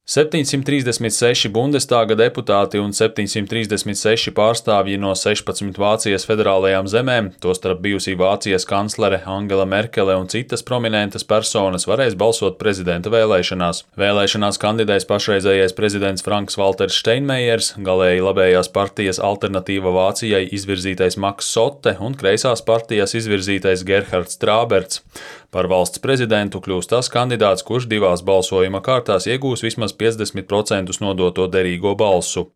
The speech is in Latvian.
736 Bundestāga deputāti un 736 pārstāvji no 16 Vācijas federālajām zemēm, tostarp bijusī Vācijas kanclere Angela Merkele un citas prominentas personas varēs balsot prezidenta vēlēšanās. Vēlēšanās kandidēs pašreizējais prezidents Franks-Valters Steinmeiers, galēji labējās partijas Alternatīva Vācijai izvirzītais Maks Sotte un kreisās partijas izvirzītais Gerhards Trāberts. Par valsts prezidentu kļūs tas kandidāts, kurš divās balsojuma kārtās iegūs vismaz 50% nodoto derīgo balsu.